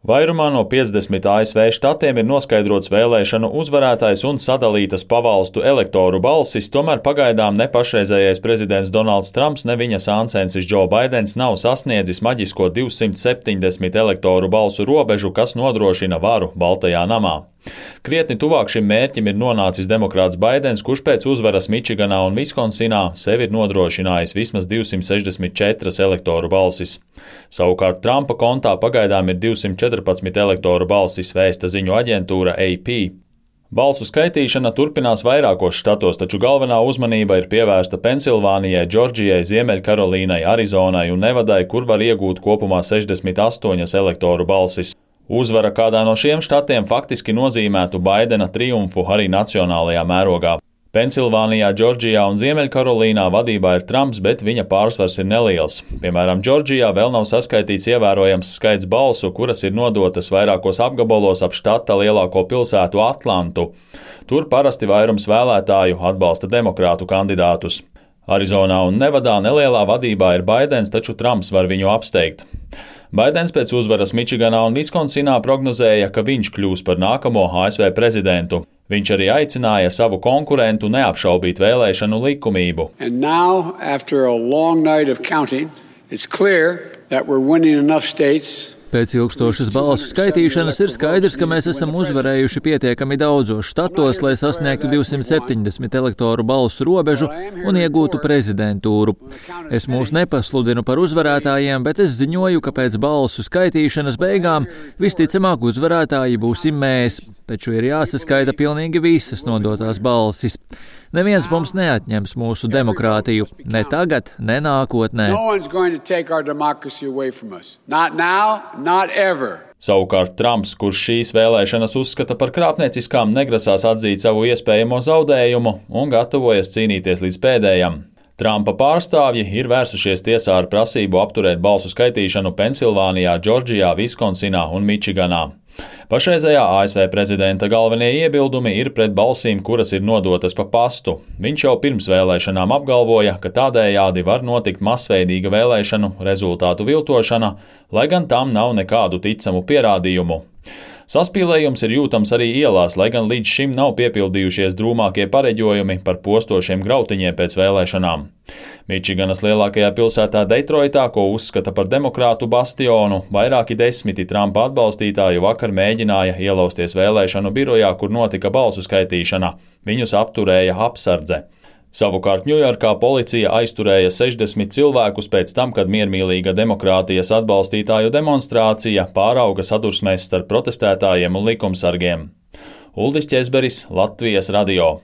Vairumā no 50 ASV štatiem ir noskaidrots vēlēšanu uzvarētājs un sadalītas pavalstu elektoru balsis, tomēr pagaidām ne pašreizējais prezidents Donalds Trumps, ne viņa sāncensis Džo Baidens nav sasniedzis maģisko 270 elektoru balsu robežu, kas nodrošina varu Baltajā namā. Krietni tuvāk šim mērķim ir nonācis demokrāts Baidens, kurš pēc uzvaras Mičiganā un Viskonsinā sev ir nodrošinājis vismaz 264 elektoru balsis. Savukārt Trumpa kontā pagaidām ir 214 elektoru balsis, vēsta ziņu aģentūra AP. Balsu skaitīšana turpinās vairākos štatos, taču galvenā uzmanība ir pievērsta Pensilvānijai, Džordžijai, Ziemeļkarolīnai, Arizonai un Nevadai, kur var iegūt kopumā 68 elektoru balsis. Uzvara kādā no šiem štatiem faktiski nozīmētu Baidena triumfu arī nacionālajā mērogā. Pensilvānijā, Džordžijā un Ziemeļkarolīnā vadībā ir Trumps, bet viņa pārsvars ir neliels. Piemēram, Džordžijā vēl nav saskaitīts ievērojams skaits balsu, kuras ir nodotas vairākos apgabalos ap štata lielāko pilsētu Atlantu. Tur parasti vairums vēlētāju atbalsta demokrātu kandidātus. Arizonā un Nevadā nelielā vadībā ir Baidens, taču Trumps var viņu apsteigt. Baidens pēc uzvaras Mičiganā un Viskonsinā prognozēja, ka viņš kļūs par nākamo ASV prezidentu. Viņš arī aicināja savu konkurentu neapšaubīt vēlēšanu likumību. And now, after a long night of counting, it's clear that we're winning enough states. Pēc ilgstošas balsu skaitīšanas ir skaidrs, ka mēs esam uzvarējuši pietiekami daudzos štatos, lai sasniegtu 270 elektoru balsu robežu un iegūtu prezidentūru. Es mūs nepasludinu par uzvarētājiem, bet es ziņoju, ka pēc balsu skaitīšanas beigām visticamāk uzvarētāji būsim mēs, taču ir jāsaskaita pilnīgi visas nodotās balsis. Neviens mums neatņems mūsu demokrātiju, ne tagad, ne nākotnē. Savukārt Trumps, kurš šīs vēlēšanas uzskata par krāpnieciskām, negrasās atzīt savu iespējamo zaudējumu un gatavojas cīnīties līdz pēdējam. Trumpa pārstāvji ir vērsušies tiesā ar prasību apturēt balsu skaitīšanu Pensilvānijā, Džordžijā, Viskonsinā un Mičiganā. Pašreizējā ASV prezidenta galvenie iebildumi ir pret balsīm, kuras ir nodotas pa pastu. Viņš jau pirms vēlēšanām apgalvoja, ka tādējādi var notikt masveidīga vēlēšanu rezultātu viltošana, lai gan tam nav nekādu ticamu pierādījumu. Saspīlējums ir jūtams arī ielās, lai gan līdz šim nav piepildījušies drūmākie pareģojumi par postošiem grautiņiem pēc vēlēšanām. Mičiganas lielākajā pilsētā Detroitā, ko uzskata par demokrātu bastionu, vairāki desmiti Trumpa atbalstītāju vakar mēģināja ielausties vēlēšanu birojā, kur notika balsu skaitīšana. Viņus apturēja apsardze. Savukārt Ņujorkā policija aizturēja 60 cilvēkus pēc tam, kad miermīlīga demokrātijas atbalstītāju demonstrācija pārauga sadursmēs starp protestētājiem un likumsargiem. Uldis Ķezberis, Latvijas radio.